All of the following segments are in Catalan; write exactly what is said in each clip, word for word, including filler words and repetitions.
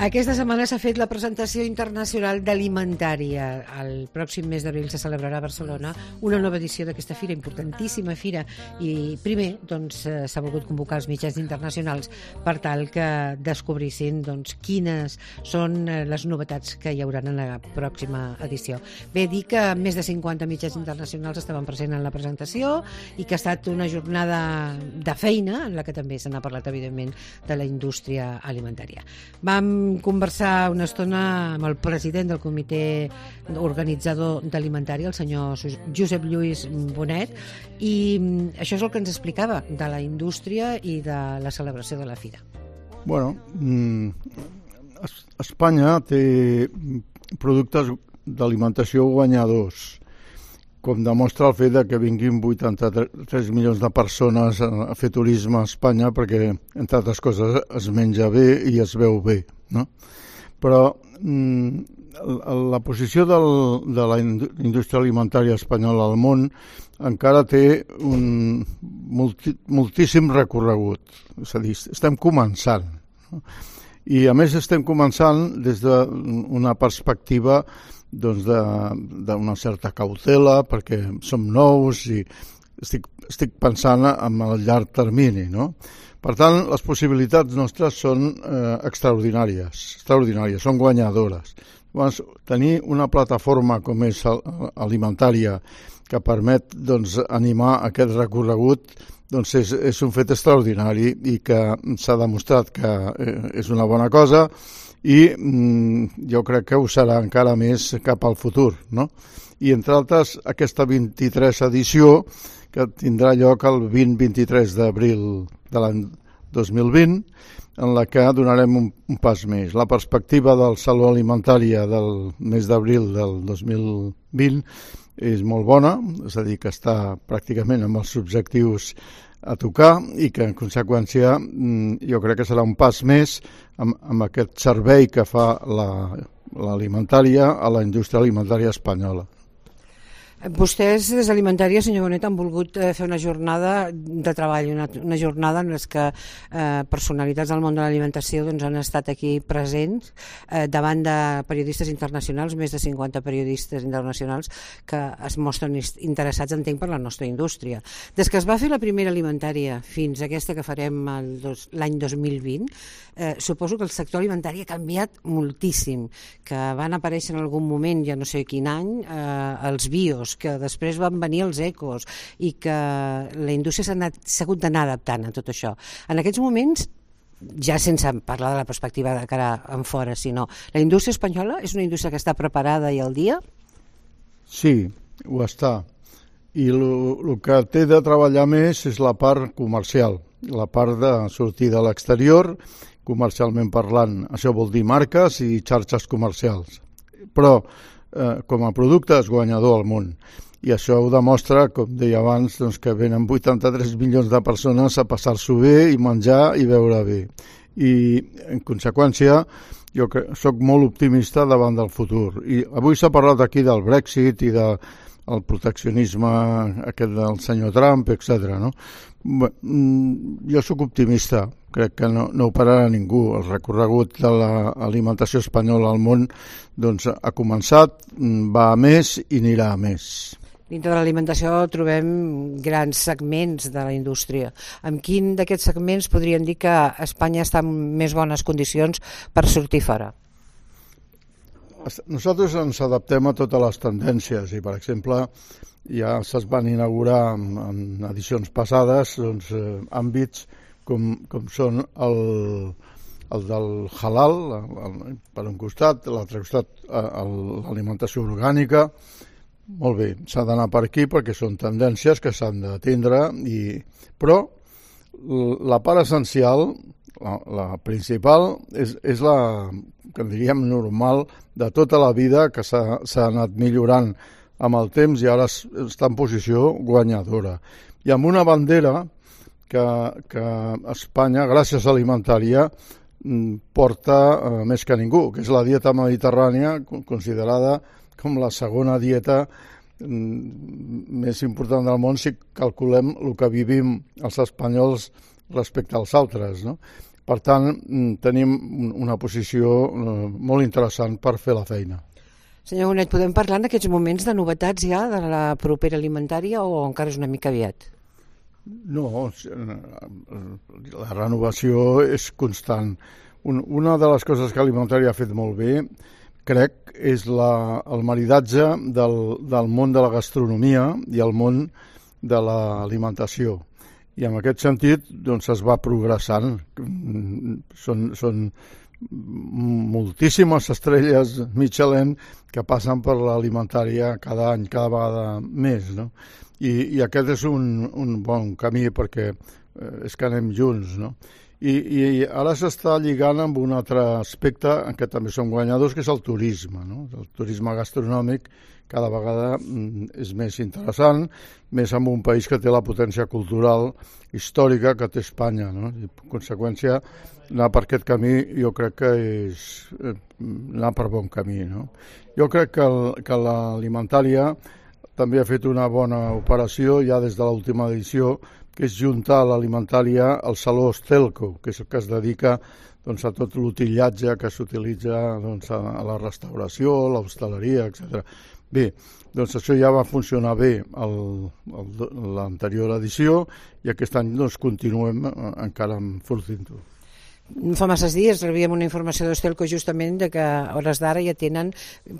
Aquesta setmana s'ha fet la presentació internacional d'Alimentària. El pròxim mes d'abril se celebrarà a Barcelona una nova edició d'aquesta fira, importantíssima fira, i primer doncs, s'ha volgut convocar els mitjans internacionals per tal que descobrissin doncs, quines són les novetats que hi haurà en la pròxima edició. Bé, dir que més de cinquanta mitjans internacionals estaven presents en la presentació i que ha estat una jornada de feina en la que també se n'ha parlat, evidentment, de la indústria alimentària. Vam conversar una estona amb el president del comitè organitzador d'Alimentària, el senyor Josep Lluís Bonet, i això és el que ens explicava de la indústria i de la celebració de la fira. Bueno, Espanya té productes d'alimentació guanyadors, com demostra el fet de que vinguin vuitanta-tres milions de persones a fer turisme a Espanya, perquè, entre altres coses, es menja bé i es veu bé, no? Però mm, la posició del, de la indústria alimentària espanyola al món encara té un multi, moltíssim recorregut. És a dir, estem començant, no? I, a més, estem començant des d'una perspectiva doncs d'una certa cautela, perquè som nous i estic, estic pensant en el llarg termini, no? Per tant, les possibilitats nostres són eh, extraordinàries, extraordinàries, són guanyadores. Llavors, tenir una plataforma com és Alimentària que permet doncs, animar aquest recorregut doncs és, és un fet extraordinari i que s'ha demostrat que eh, és una bona cosa, i mm, jo crec que ho serà encara més cap al futur, no? I entre altres aquesta vint-i-tercera edició que tindrà lloc el vint-i-tres d'abril de l'any dos mil vint, en la que donarem un, un pas més. La perspectiva del Saló Alimentària del mes d'abril del dos mil vint és molt bona, és a dir, que està pràcticament amb els objectius a tocar i que, en conseqüència, jo crec que serà un pas més amb, amb aquest servei que fa l'alimentària la, a la indústria alimentària espanyola. Vostès, des d'Alimentària, senyor Bonet, han volgut fer una jornada de treball, una, una jornada en què eh, personalitats del món de l'alimentació doncs, han estat aquí presents eh, davant de periodistes internacionals, més de cinquanta periodistes internacionals que es mostren interessats, entenc, per la nostra indústria. Des que es va fer la primera Alimentària fins a aquesta que farem l'any dos mil vint, eh, suposo que el sector alimentari ha canviat moltíssim, que van aparèixer en algun moment, ja no sé quin any, eh, els bios, que després van venir els ecos i que la indústria s'ha hagut d'anar adaptant a tot això. En aquests moments, ja sense parlar de la perspectiva de cara en fora, sinó la indústria espanyola és una indústria que està preparada i al dia? Sí, ho està. I el que té de treballar més és la part comercial, la part de sortir de l'exterior, comercialment parlant. Això vol dir marques i xarxes comercials. Però Eh, com a producte és guanyador al món, i això ho demostra, com deia abans, doncs, que venen vuitanta-tres milions de persones a passar-s'ho bé i menjar i beure bé, i en conseqüència jo soc molt optimista davant del futur. I avui s'ha parlat aquí del Brexit i del proteccionisme aquest del senyor Trump, etcètera, no? Jo soc optimista, crec que no, no ho pararà ningú. El recorregut de l'alimentació espanyola al món doncs, ha començat, va a més i anirà a més. Dintre de l'alimentació trobem grans segments de la indústria. En quin d'aquests segments podríem dir que Espanya està en més bones condicions per sortir fora? Nosaltres ens adaptem a totes les tendències i, per exemple, ja se's van inaugurar en edicions passades doncs, eh, àmbits com, com són el, el del halal, el, per un costat, l'altre costat l'alimentació orgànica. Molt bé, s'ha d'anar per aquí perquè són tendències que s'han d'atendre, i... però la part essencial, la, la principal, és, és la que en diríem normal de tota la vida, que s'ha anat millorant amb el temps i ara està en posició guanyadora. I amb una bandera que, que Espanya, gràcies a Alimentària, porta eh, més que ningú, que és la dieta mediterrània, considerada com la segona dieta més important del món si calculem el que vivim els espanyols respecte als altres, no? Per tant, tenim una posició molt interessant per fer la feina. Senyor Bonet, podem parlar en aquests moments de novetats ja de la propera alimentària o encara és una mica aviat? No, la renovació és constant. Una de les coses que Alimentària ha fet molt bé, crec, és la, el maridatge del, del món de la gastronomia i el món de l'alimentació. I en aquest sentit doncs, es va progressant. Són, són moltíssimes estrelles Michelin que passen per l'alimentària cada any, cada vegada més, no? I, i aquest és un, un bon camí perquè eh, és que anem junts, no? I, i ara s'està lligant amb un altre aspecte en què també som guanyadors, que és el turisme, no? El turisme gastronòmic cada vegada és més interessant, més en un país que té la potència cultural històrica que té Espanya, no? I, en conseqüència, anar per aquest camí jo crec que és anar per bon camí, no? Jo crec que, el, que l'alimentària també ha fet una bona operació ja des de l'última edició, que és juntar l'alimentària al Saló Estelco, que és el que es dedica doncs, a tot l'utillatge que s'utilitza doncs, a la restauració, l'hostaleria, etcètera. Bé, doncs això ja va funcionar bé l'anterior edició i aquest any doncs, continuem encara enfortint-ho. Fa masses dies rebíem una informació d'Estelco justament de que a hores d'ara ja tenen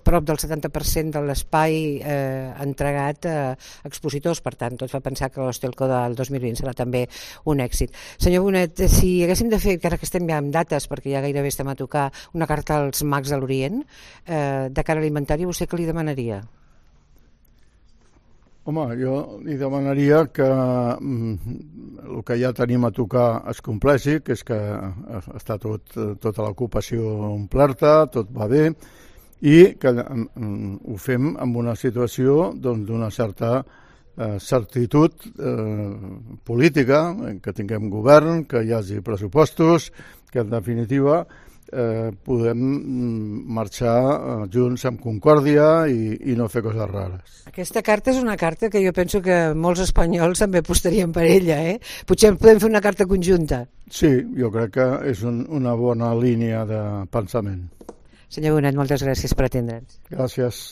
prop del setanta per cent de l'espai eh, entregat a expositors, per tant tot fa pensar que l'Estelco del dos mil vint serà també un èxit. Senyor Bonet, si haguéssim de fer, encara que estem ja amb dates perquè ja gairebé estem a tocar, una carta als mags de l'Orient eh, de cara alimentària, vostè què li demanaria? Home, jo li demanaria que mm, el que ja tenim a tocar es compleixi, que és que està tot, tota l'ocupació omplerta, tot va bé, i que mm, ho fem en una situació doncs, d'una certa eh, certitud eh, política, que tinguem govern, que hi hagi pressupostos, que en definitiva eh, podem marxar eh, junts amb concòrdia i, i no fer coses rares. Aquesta carta és una carta que jo penso que molts espanyols també apostarien per ella, eh? Potser podem fer una carta conjunta. Sí, jo crec que és un, una bona línia de pensament. Senyor Bonet, moltes gràcies per atendre'ns. Gràcies.